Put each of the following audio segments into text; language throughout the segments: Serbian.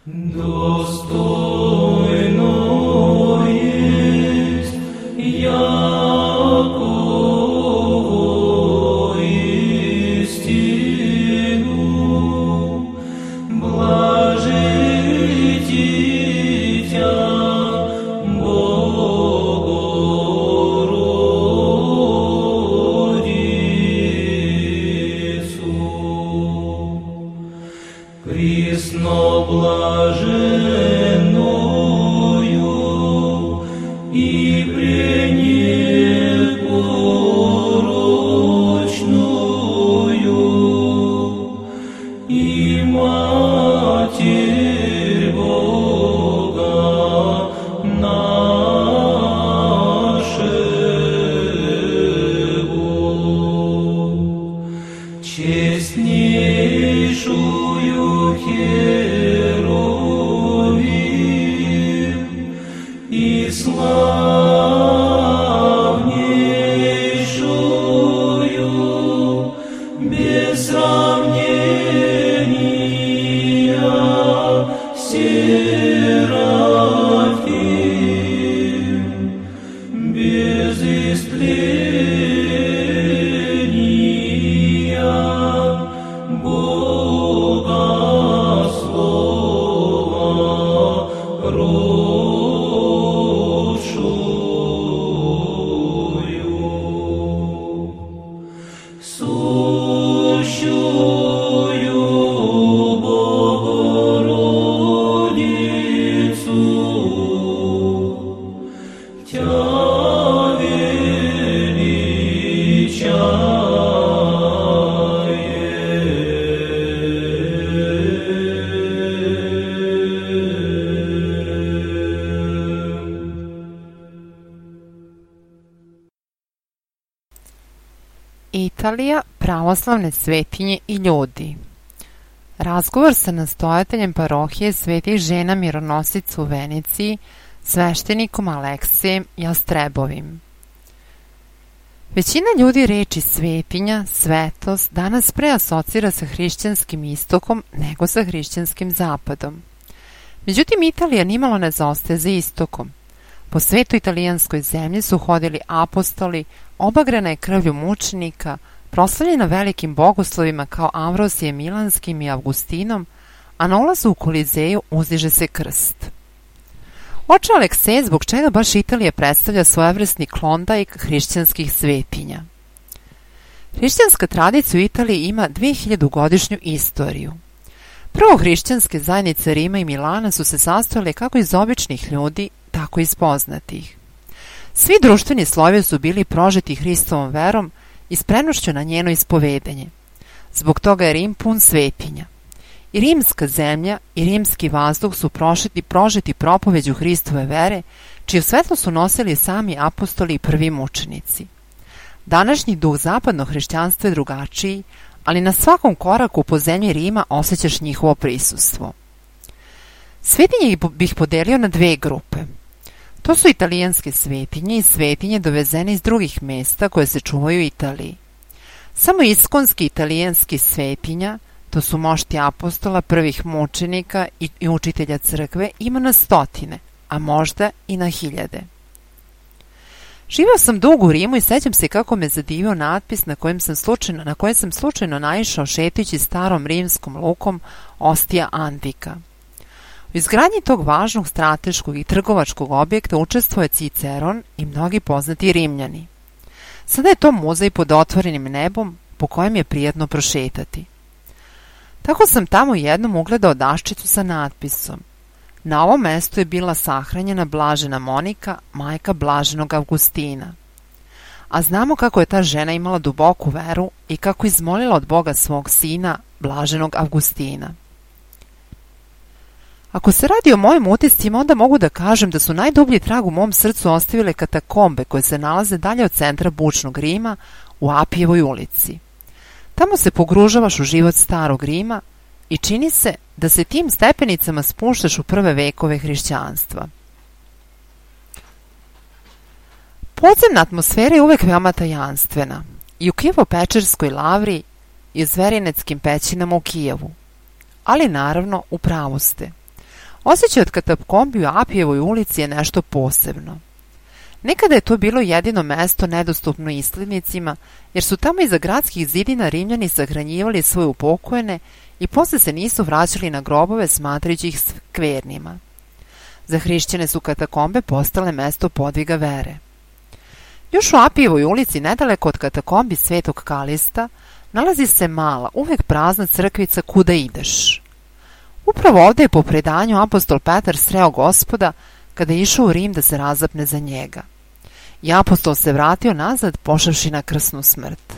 Достойно есть Якову истину, блажи дитя Богородицу. Присно блаженною и пренепорочную, и Матерь Бога нашего, честнейшую Херувим и славнейшую без сравнения Серафим, без истления Бога Слова родшую, сущую Богородицу, Тя Italija, pravoslavne svetinje i ljudi. Razgovor sa nastojateljem parohije Svetih žena mironosica u Veneciji, sveštenikom Aleksijem Jastrebovim. Većina ljudi reči svetinja, svetost danas pre asocira sa hrišćanskim istokom nego sa hrišćanskim zapadom. Međutim, Italija nimalo ne zaostaje za istokom. Po svetu italijanskoj zemlji su hodili apostoli, obagrana je krvlju mučenika, proslavljena velikim bogoslovima kao Amvrosije Milanskim i Avgustinom, a na ulazu u Kolizeju uzdiže se krst. Oče Alekseje, zbog čega baš Italija predstavlja svojevrsni klondajk hrišćanskih svetinja? Hrišćanska tradicija u Italiji ima 2000-godišnju istoriju. Prvo hrišćanske zajednice Rima i Milana su se sastojale kako iz običnih ljudi, tako i iz poznatih. Svi društveni slojevi su bili prožeti Hristovom verom i spremnošću na njeno ispovedanje. Zbog toga je Rim pun svetinja. I rimska zemlja i rimski vazduh su prožeti propoveđu Hristove vere, čiju svetlo su nosili sami apostoli i prvi mučenici. Današnji duh zapadnog hrišćanstva je drugačiji, ali na svakom koraku po zemlji Rima osjećaš njihovo prisustvo. Svetinje bih podelio na dve grupe. To su italijanske svetinje i svetinje dovezene iz drugih mesta koje se čuvaju u Italiji. Samo iskonski italijanski svetinja, to su mošti apostola, prvih mučenika i učitelja crkve, ima na stotine, a možda i na hiljade. Živeo sam dugo u Rimu i sećam se kako me zadivio natpis na kojem sam slučajno naišao šetajući starom rimskom lukom Ostia Antica. U izgradnji tog važnog strateškog i trgovačkog objekta učestvuje Ciceron i mnogi poznati Rimljani. Sada je to muzej pod otvorenim nebom po kojem je prijatno prošetati. Tako sam tamo jednom ugledao daščicu sa natpisom: na ovom mestu je bila sahranjena blažena Monika, majka blaženog Avgustina. A znamo kako je ta žena imala duboku veru i kako izmolila od Boga svog sina, blaženog Avgustina. Ako se radi o mojim utiscima, onda mogu da kažem da su najdublji trag u mom srcu ostavile katakombe koje se nalaze dalje od centra bučnog Rima u Apijevoj ulici. Tamo se pogružavaš u život starog Rima i čini se da se tim stepenicama spuštaš u prve vekove hrišćanstva. Podzemna atmosfera je uvek veoma tajanstvena i u Kijevo-Pečerskoj lavri i u Zverineckim pećinama u Kijevu. Ali naravno, u pravu ste. Osjećaj od katakombi u Apijevoj ulici je nešto posebno. Nekada je to bilo jedino mesto nedostupno islednicima, jer su tamo iza gradskih zidina Rimljani sahranjivali svoje upokojene i posle se nisu vraćali na grobove smatrajući ih skvernima. Za hrišćane su katakombe postale mesto podviga vere. Još u Apijevoj ulici, nedaleko od katakombi Svetog Kalista, nalazi se mala, uvek prazna crkvica Kuda ideš. Upravo ovde je po predanju apostol Petar sreo Gospoda kada je išao u Rim da se razapne za njega. I apostol se vratio nazad pošavši na krsnu smrt.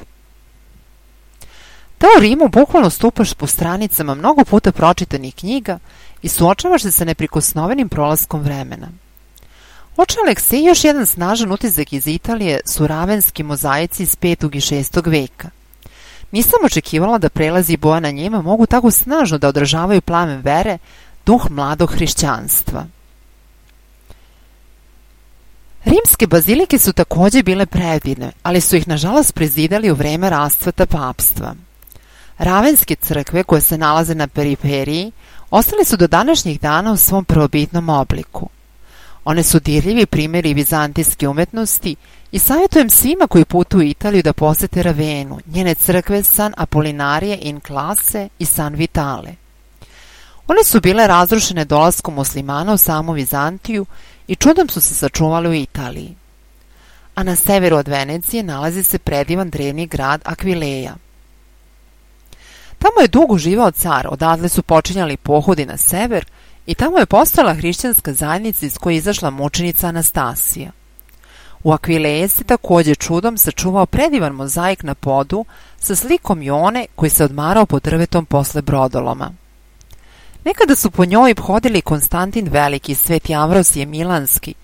Da u Rimu bukvalno stupaš po stranicama mnogo puta pročitanih knjiga i suočavaš se sa neprikosnovenim prolaskom vremena. Oče Aleksej, još jedan snažan utisak iz Italije su ravenski mozaici iz 5. i 6. veka. Nisam očekivala da prelazi boja na njima mogu tako snažno da odražavaju plamen vere, duh mladog hrišćanstva. Rimske bazilike su takođe bile predivne, ali su ih nažalost prezidali u vreme rascveta papstva. Ravenske crkve koje se nalaze na periferiji ostale su do današnjih dana u svom prvobitnom obliku. One su dirljivi primjeri vizantijske umetnosti i savjetujem svima koji putuju u Italiju da posete Ravenu, njene crkve San Apollinarije in Classe i San Vitale. One su bile razrušene dolaskom muslimana u samu Vizantiju i čudom su se sačuvali u Italiji. A na severu od Venecije nalazi se predivan drevni grad Akvileja. Tamo je dugo živao car, odatle su počinjali pohodi na sever i tamo je postojala hrišćanska zajednica iz koje je izašla mučenica Anastasija. U Akvileji se takođe čudom sačuvao predivan mozaik na podu sa slikom Jone koji se odmarao pod drvetom posle brodoloma. Nekada su po njoj hodili Konstantin Veliki, Sveti Amvrosije Milanski.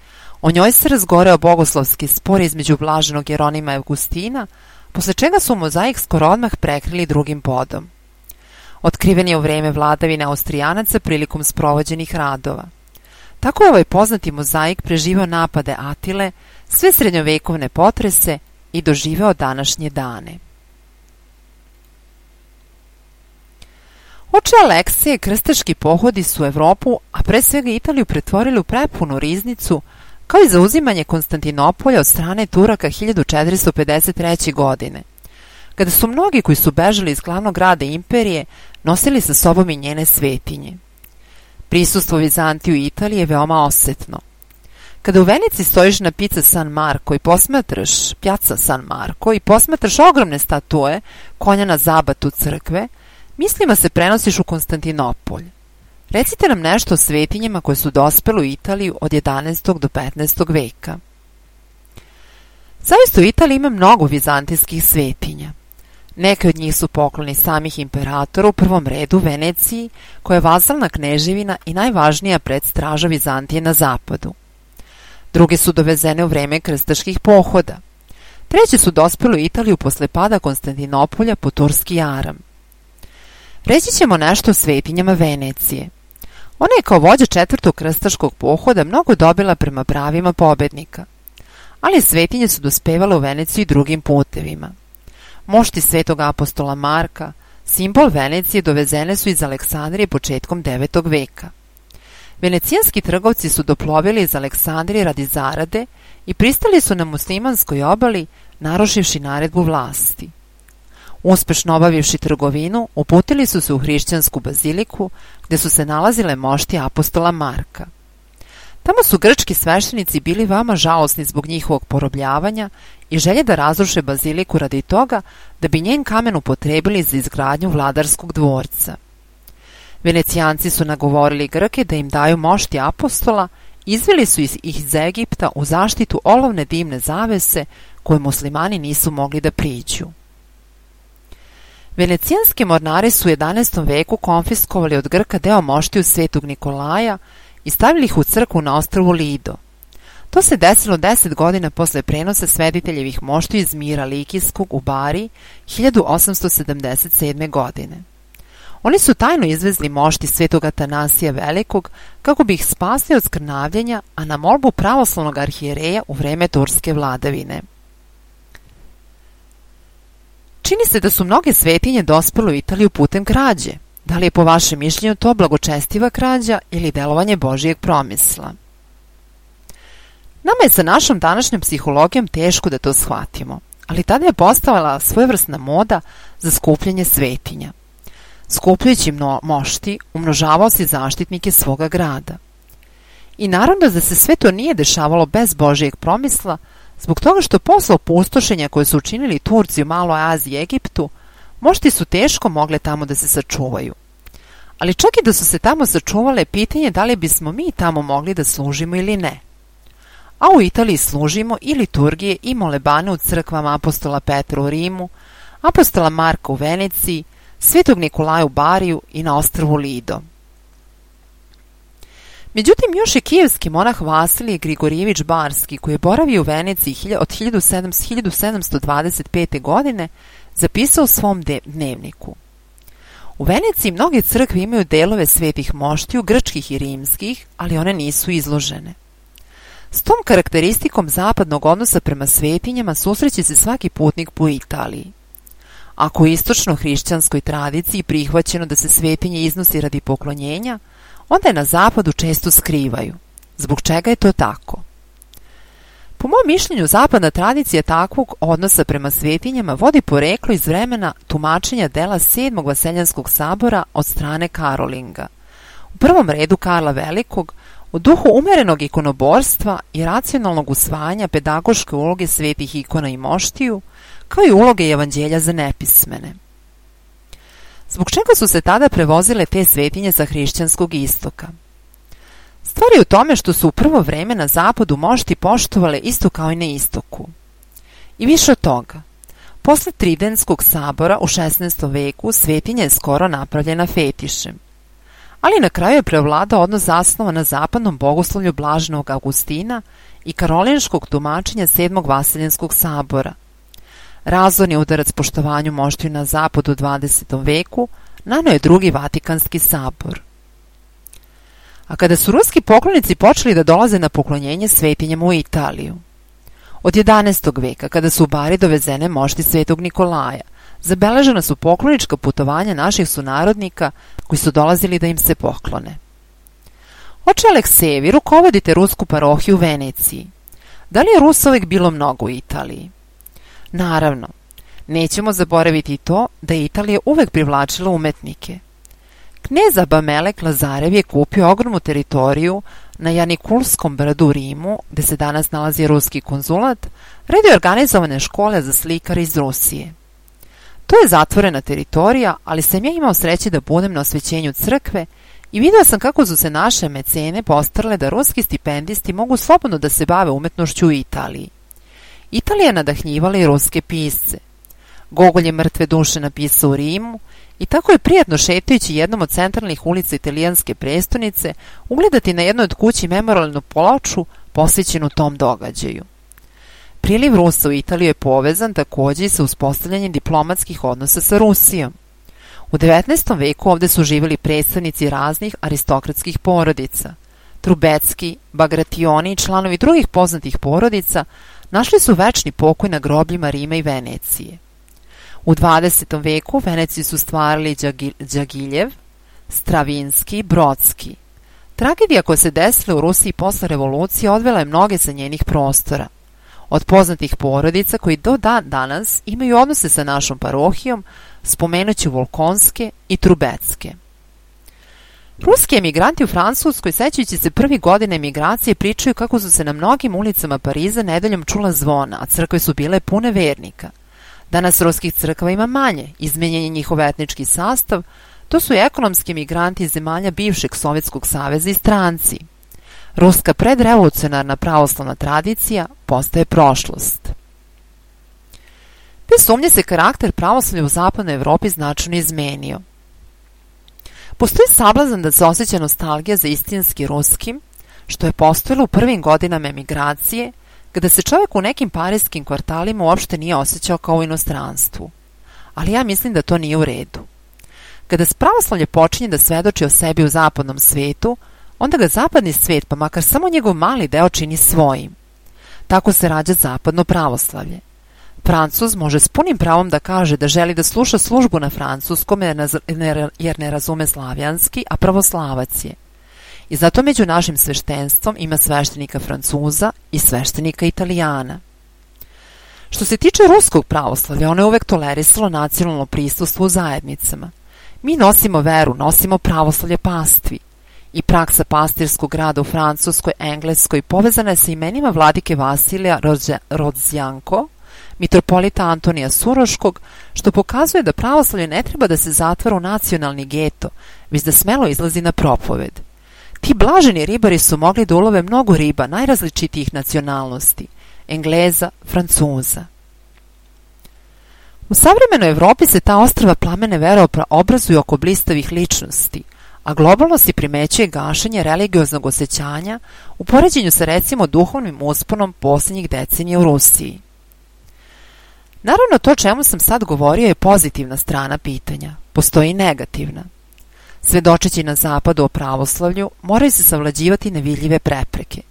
O njoj se razgoreo bogoslovski spor između blaženog Jeronima i Augustina, posle čega su mozaik skoro odmah prekrili drugim podom. Otkriven je u vreme vladavine Austrijanaca prilikom sprovođenih radova. Tako je ovaj poznati mozaik preživao napade Atile, sve srednjovekovne potrese i doživeo današnje dane. Oče Aleksije, krstaški pohodi su Evropu, a pre svega Italiju, pretvorili u prepunu riznicu, kao i zauzimanje Konstantinopolja od strane Turaka 1453. godine, kada su mnogi koji su bežali iz glavnog grada imperije nosili sa sobom i njene svetinje. Prisustvo Vizantije u Italiji je veoma osetno. Kada u Veneciji stojiš na Piazza San Marco i posmatraš ogromne statue konja na zabatu crkve, mislima se prenosiš u Konstantinopolj. Recite nam nešto o svetinjama koje su dospele u Italiju od 11. do 15. veka. Zaista u Italiji ima mnogo vizantijskih svetinja. Neke od njih su pokloni samih imperatora, u prvom redu Veneciji, koja je vazalna kneževina i najvažnija predstraža Vizantije na zapadu. Druge su dovezene u vreme krstaških pohoda. Treće su dospele u Italiju posle pada Konstantinopolja po turski jaram. Reći ćemo nešto o svetinjama Venecije. Ona je kao vođa četvrtog krstaškog pohoda mnogo dobila prema pravima pobednika. Ali svetinje su dospevale u Veneciju i drugim putevima. Mošti svetog apostola Marka, simbol Venecije, dovezene su iz Aleksandrije početkom 9. veka. Venecijanski trgovci su doplovili iz Aleksandrije radi zarade i pristali su na muslimanskoj obali, narušivši naredbu vlasti. Uspešno obavivši trgovinu, uputili su se u hrišćansku baziliku, gde su se nalazile mošti apostola Marka. Tamo su grčki sveštenici bili veoma žalosni zbog njihovog porobljavanja i želje da razruše baziliku radi toga da bi njen kamen upotrebili za izgradnju vladarskog dvorca. Venecijanci su nagovorili Grke da im daju mošti apostola, izveli su ih iz Egipta u zaštitu olovne dimne zavese koje muslimani nisu mogli da priđu. Venecijanski mornari su u 11. veku konfiskovali od Grka deo moštiju Svetog Nikolaja i stavili ih u crkvu na ostrvu Lido. To se desilo 10 godina posle prenosa svediteljevih moštiju iz Mira Likijskog u Bari 1877. godine. Oni su tajno izvezli mošti Svetog Atanasija Velikog kako bi ih spasli od skrnavljenja, a na molbu pravoslavnog arhijereja u vreme turske vladavine. Čini se da su mnoge svetinje dospele u Italiju putem krađe. Da li je po vašem mišljenju to blagočestiva krađa ili delovanje Božijeg promisla? Nama je sa našom današnjom psihologijom teško da to shvatimo, ali tada je postojala svojevrsna moda za skupljanje svetinja. Skupljajući mošti, umnožavao si zaštitnike svoga grada. I naravno da se sve to nije dešavalo bez Božijeg promisla, zbog toga što posle opustošenja koje su učinili Turci u Maloj Aziji i Egiptu, mošti su teško mogle tamo da se sačuvaju. Ali čak i da su se tamo sačuvale, pitanje da li bismo mi tamo mogli da služimo ili ne. A u Italiji služimo i liturgije i molebane u crkvama apostola Petra u Rimu, apostola Marka u Veneciji, Svetog Nikolaja u Bariju i na ostrvu Lido. Međutim, još je kijevski monah Vasilije Grigorijević Barski, koji je boravio u Veneciji od 1725. godine, zapisao u svom dnevniku: u Veneciji mnoge crkve imaju delove svetih moštiju, grčkih i rimskih, ali one nisu izložene. S tom karakteristikom zapadnog odnosa prema svetinjama susreće se svaki putnik po Italiji. Ako u istočno-hrišćanskoj tradiciji prihvaćeno da se svetinje iznosi radi poklonjenja, onda je na zapadu često skrivaju. Zbog čega je to tako? Po mom mišljenju, zapadna tradicija takvog odnosa prema svetinjama vodi poreklo iz vremena tumačenja dela 7. Vaseljanskog sabora od strane Karolinga. U prvom redu Karla Velikog, u duhu umerenog ikonoborstva i racionalnog usvajanja pedagoške uloge svetih ikona i moštiju, kao i uloge evanđelja za nepismene. Zbog čega su se tada prevozile te svetinje sa hrišćanskog istoka? Stvar je u tome što su u prvo vreme na zapadu mošti poštovale isto kao i na istoku. I više od toga, posle Tridentskog sabora u 16. veku svetinja je skoro napravljena fetišem. Ali na kraju je prevladao odnos zasnovan na zapadnom bogoslovlju Blaženog Augustina i karolinškog tumačenja 7. Vaseljanskog sabora. Razorni udarac poštovanju moštiju na zapadu u 20. veku naneo je drugi Vatikanski sabor. A kada su ruski poklonici počeli da dolaze na poklonjenje svetinjama u Italiju? Od 11. veka, kada su u Bari dovezene mošti Svetog Nikolaja, zabeležena su poklonička putovanja naših sunarodnika koji su dolazili da im se poklone. Oče Aleksejevi, vi rukovodite rusku parohiju u Veneciji. Da li je Rusa uvek bilo mnogo u Italiji? Naravno, nećemo zaboraviti i to da je Italija uvek privlačila umetnike. Knez Abamelek Lazarev je kupio ogromnu teritoriju na Janikulskom brdu u Rimu, gde se danas nalazi ruski konzulat, redio organizovane škole za slikare iz Rusije. To je zatvorena teritorija, ali sam ja imao sreće da budem na osvećenju crkve i vidio sam kako su se naše mecene postarale da ruski stipendisti mogu slobodno da se bave umetnošću u Italiji. Italija je nadahnjivala i ruske pisce. Gogolj je Mrtve duše napisao u Rimu i tako je prijatno šetajući jednom od centralnih ulica italijanske prestonice ugledati na jednoj od kući memorialnu ploču posvećenu tom događaju. Priliv Rusa u Italiju je povezan takođe i sa uspostavljanjem diplomatskih odnosa sa Rusijom. U 19. veku ovde su živjeli predstavnici raznih aristokratskih porodica. Trubecki, Bagrationi i članovi drugih poznatih porodica našli su večni pokoj na grobljima Rima i Venecije. U 20. veku u Veneciji su stvarali Đagiljev, Stravinski, Brodski. Tragedija koja se desila u Rusiji posle revolucije odvela je mnoge sa njenih prostora. Od poznatih porodica koji do danas imaju odnose sa našom parohijom, spomenuću Volkonske i Trubecke. Ruski emigranti u Francuskoj, sećajući se prvih godina emigracije, pričaju kako su se na mnogim ulicama Pariza nedeljom čula zvona, a crkve su bile pune vernika. Danas ruskih crkava ima manje, izmenjen je njihov etnički sastav, to su i ekonomski emigranti iz zemalja bivšeg Sovjetskog saveza i stranci. Ruska predrevolucionarna pravoslavna tradicija postaje prošlost. Bez sumnje se karakter pravoslavlja u zapadnoj Evropi značajno izmenio. Postoji sablazan da se osjeća nostalgija za istinski ruskim, što je postojalo u prvim godinama emigracije, kada se čovjek u nekim parijskim kvartalima uopšte nije osjećao kao u inostranstvu. Ali ja mislim da to nije u redu. Kada pravoslavlje počinje da svedoči o sebi u zapadnom svetu, onda ga zapadni svet, pa makar samo njegov mali deo, čini svojim. Tako se rađa zapadno pravoslavlje. Francuz može s punim pravom da kaže da želi da sluša službu na francuskom jer ne razume slavijanski, a pravoslavac je. I zato među našim sveštenstvom ima sveštenika Francuza i sveštenika Italijana. Što se tiče ruskog pravoslavlja, ono je uvek tolerisalo nacionalno prisustvo u zajednicama. Mi nosimo veru, nosimo pravoslavlje pastvi. I praksa pastirskog rada u Francuskoj, Engleskoj povezana je sa imenima vladike Vasilija Rodzjanko, mitropolita Antonija Suroškog, što pokazuje da pravoslavlje ne treba da se zatvara u nacionalni geto, već da smelo izlazi na propoved. Ti blaženi ribari su mogli da ulove mnogo riba najrazličitijih nacionalnosti, Engleza, Francuza. U savremenoj Evropi se ta ostrva plamene obrazuju oko blistavih ličnosti, a globalno se primećuje gašenje religioznog osjećanja u poređenju sa recimo duhovnim usponom posljednjih decenija u Rusiji. Naravno, to čemu sam sad govorio je pozitivna strana pitanja, postoji i negativna. Svedočeći na zapadu o pravoslavlju, moraju se savlađivati nevidljive prepreke.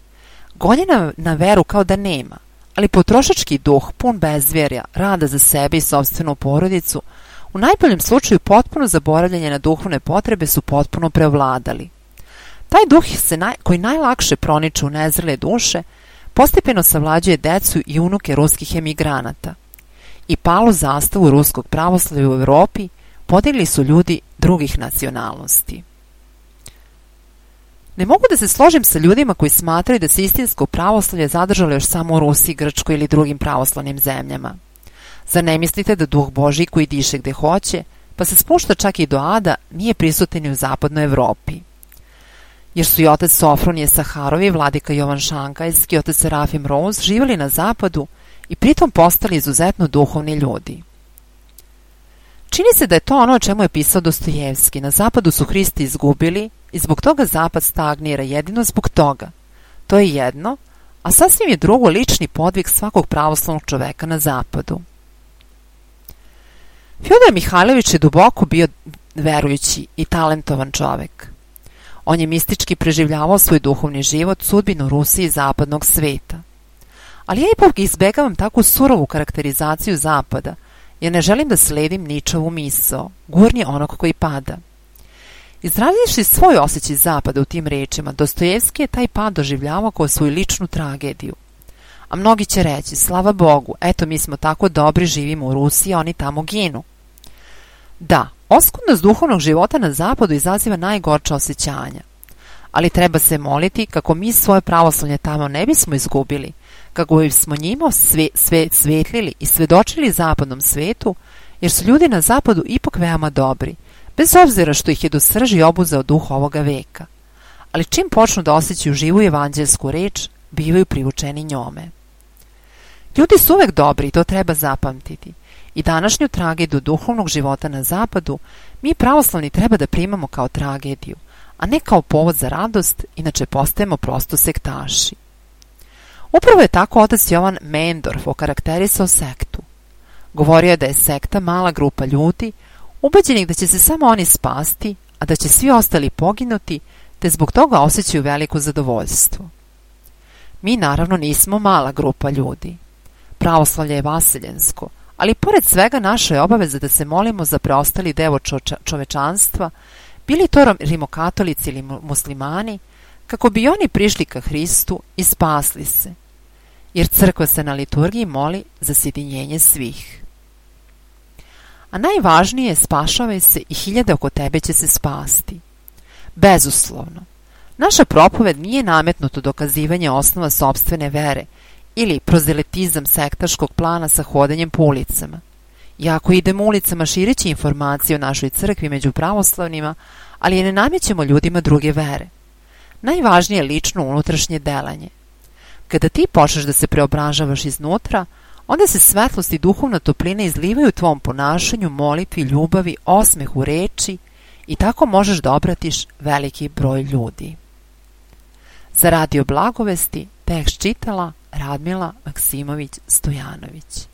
Gonjena na veru kao da nema, ali potrošački duh, pun bezvjerja, rada za sebe i sopstvenu porodicu, u najboljem slučaju potpuno zaboravljanje na duhovne potrebe su potpuno preovladali. Taj duh koji najlakše proniče u nezrele duše, postepeno savlađuje decu i unuke ruskih emigranata. I palu zastavu ruskog pravoslavlja u Evropi podigli su ljudi drugih nacionalnosti. Ne mogu da se složim sa ljudima koji smatraju da se istinsko pravoslavlje zadržalo još samo u Rusiji, Grčkoj ili drugim pravoslavnim zemljama. Zar ne mislite da duh Božji koji diše gde hoće, pa se spušta čak i do ada, nije prisutan i u zapadnoj Evropi? Jer su i otac Sofronije Saharovi, vladika Jovan Šankajski i otac Serafim Rouz živjeli na zapadu i pritom postali izuzetno duhovni ljudi. Čini se da je to ono o čemu je pisao Dostojevski. Na zapadu su Hristi izgubili i zbog toga zapad stagnira, jedino zbog toga. To je jedno, a sasvim je drugo lični podvig svakog pravoslavnog čoveka na zapadu. Fjodor Mihajlović je duboko bio verujući i talentovan čovek. On je mistički preživljavao svoj duhovni život, sudbinu Rusije i zapadnog sveta. Ali ja ipak izbegavam takvu surovu karakterizaciju zapada, jer ne želim da sledim Ničovu misao, gurnje onog koji pada. Izrazivši svoj osjećaj zapada u tim rečima, Dostojevski je taj pad doživljavao kao svoju ličnu tragediju. A mnogi će reći, slava Bogu, eto mi smo tako dobri, živimo u Rusiji, a oni tamo ginu. Da, oskudnost duhovnog života na zapadu izaziva najgorča osjećanja. Ali treba se moliti kako mi svoje pravoslavlje tamo ne bismo izgubili, kako bismo njima svetlili i svedočili zapadnom svetu, jer su ljudi na zapadu ipak veoma dobri, bez obzira što ih je do srži obuzeo duh ovoga veka. Ali čim počnu da osjećaju živu evanđelsku reč, bivaju privučeni njome. Ljudi su uvek dobri i to treba zapamtiti. I današnju tragediju duhovnog života na zapadu mi pravoslavni treba da primamo kao tragediju, a ne kao povod za radost, inače postajemo prosto sektaši. Upravo je tako otac Jovan Mendorf okarakterisao sektu. Govorio je da je sekta mala grupa ljudi, ubeđenih da će se samo oni spasti, a da će svi ostali poginuti, te zbog toga osjećaju veliko zadovoljstvo. Mi naravno nismo mala grupa ljudi. Pravoslavlje je vaseljensko, ali pored svega naša je obaveza da se molimo za preostali deo čovečanstva, bili to rimokatolici ili muslimani, kako bi oni prišli ka Hristu i spasli se, jer crkva se na liturgiji moli za sjedinjenje svih. A najvažnije je spašavaj se i hiljade oko tebe će se spasti. Bezuslovno, naša propoved nije nametnuto dokazivanje osnova sopstvene vere ili prozelitizam sektaškog plana sa hodanjem po ulicama. Iako idemo ulicama šireći informacije o našoj crkvi među pravoslavnima, ali je ne namećemo ljudima druge vere. Najvažnije je lično unutrašnje delanje. Kada ti počneš da se preobražavaš iznutra, onda se svetlost i duhovna toplina izlivaju u tvom ponašanju, molitvi, ljubavi, osmehu, reči i tako možeš da obratiš veliki broj ljudi. Za Radio Blagovesti tekst čitala Radmila Maksimović-Stojanović.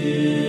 Amen.